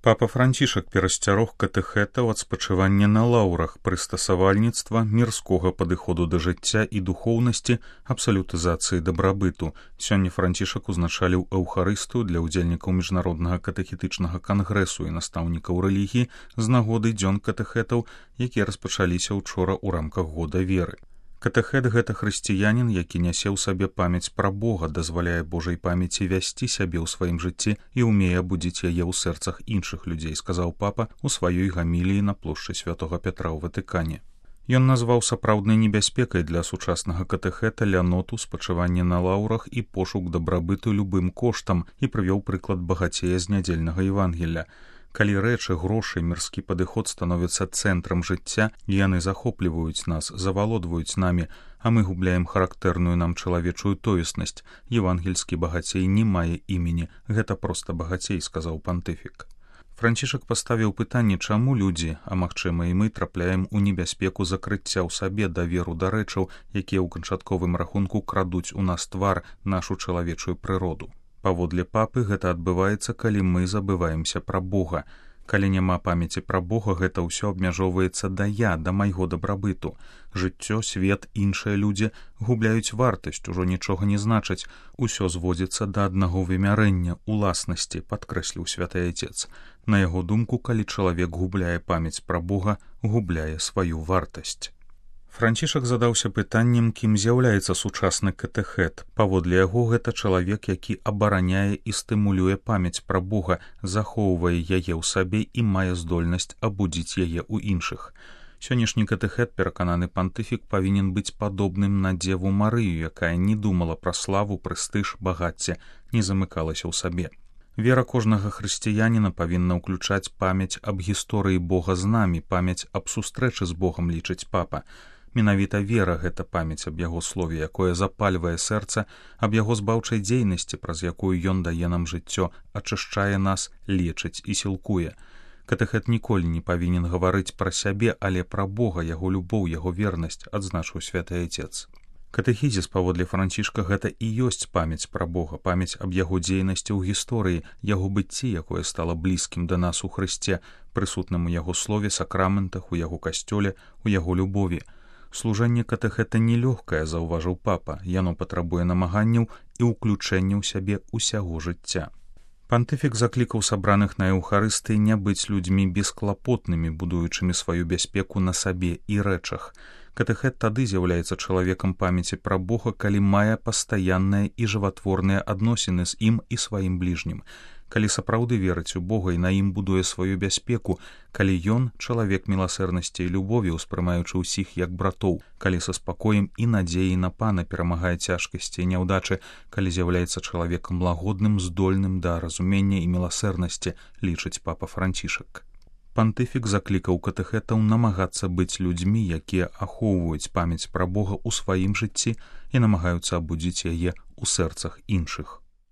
Папа Францішак перасцярог катэхэтаў ад спачывання на лаўрах, прыстасавальніцтва, мірскога падыходу да жыцця і духоўнасці, абсалютызацыі дабрабыту. Сёння Францішак узначаліў эўхарыстыю для ўдзельнікаў міжнароднага катэхетычнага кангрэсу і настаўнікаў рэлігіі з нагоды дзён катэхэтаў, якія распачаліся ўчора ў рамках года веры. Катэхет — гэта хрысціянін, які нясе ў сабе памяць пра Бога, дазваляе Божай памяці вясці сябе ў сваім жыцці і ўмее абудзіць яе ў сэрцах іншых людзей, сказаў папа ў сваёй гаміліі на плошчы Святога Пятра ў Ватыкане. Ён назваў сапраўднай небяспекай для сучаснага катэхета ляноту, спачыванне на лаўрах і пошук дабрабыту любым коштам і прывёў прыклад багацея з нядзельнага Евангелля. Калі рэчы, грошы, мірскі падыход становяцца цэнтрам жыцця, яны захопліваюць нас, завалодваюць намі, а мы губляем характэрную нам чалавечую тоеснасць. Евангельскі багацей не мае імені, гэта проста багацей, сказаў пантыфік. Францішак паставіў пытанне, чаму людзі, а магчыма і мы, трапляем у небяспеку закрыцця ў сабе даверу да рэчаў, якія ў канчатковым рахунку крадуць у нас твар, нашу чалавечую прыроду. Паводле папы гэта адбываецца, калі мы забываемся пра Бога. Калі няма памяці пра Бога, гэта ўсё абмяжоўваецца да я, да майго дабрабыту. Жыццё, свет, іншыя людзі губляюць вартасць, ужо нічога не значаць. Усё зводзіцца да аднаго вымярэння, уласнасці, падкрэсліў святы Айцец. На яго думку, калі чалавек губляе памяць пра Бога, губляе сваю вартасць. Францішак задаўся пытаннем, кім з'яўляецца сучасны катэхет. Паводле яго, гэта чалавек, які абараняе і стымулюе памяць пра Бога, захоўвае яе ў сабе і мае здольнасць абудзіць яе ў іншых. Сённяшні катэхет, перакананы пантыфік, павінен быць падобным на Дзеву Марыю, якая не думала пра славу, прэстыж, багацце, не замыкалася ў сабе. Вера кожнага хрысціяніна павінна ўключаць памяць аб гісторыі Бога з намі, памяць аб сустрэчы з Богам, лічыць папа. Менавіта вера — гэта памяць аб яго слове, якое запальвае сэрца, аб яго збаўчай дзейнасці, праз якую ён дае нам жыццё, ачышчае нас, лечыць і сілкуе. Катэхет ніколі не павінен гаварыць пра сябе, але пра Бога, яго любоў, яго вернасць, адзначыў святы Айцец. Катэхізіс, паводле Францішка, гэта і ёсць памяць пра Бога, памяць аб яго дзейнасці ў гісторыі, яго быцці, якое стала блізкім да нас у Хрысце, прысутным у яго слове, сакраментах, у яго касцёле, у яго любові. Служэнне катэхета нелёгкае, заўважыў папа, яно патрабуе намаганняў і ўключэння ў сябе ўсяго жыцця. Пантыфік заклікаў сабраных на эўхарыстыі не быць людзьмі бесклапотнымі, будуючымі сваю бяспеку на сабе і рэчах. Катэхет тады з'яўляецца чалавекам памяці пра Бога, калі мае пастаянныя і жыватворныя адносіны з ім і сваім бліжнім. Калі сапраўды верыць у Бога і на ім будуе сваю бяспеку, калі ён — чалавек міласэрнасці і любові, успрымаючы ўсіх як братоў, калі са спакоем і надзеяй на Пана перамагае цяжкасці і няўдачы, калі з'яўляецца чалавекам лагодным, здольным да разумення і міласэрнасці, лічыць папа Францішак. Пантыфік заклікаў катэхетаў намагацца быць людзьмі, якія ахоўваюць памяць пра Бога ў сваім жыцці і намагаюцца абудзіць яе ў сэрцах іншых.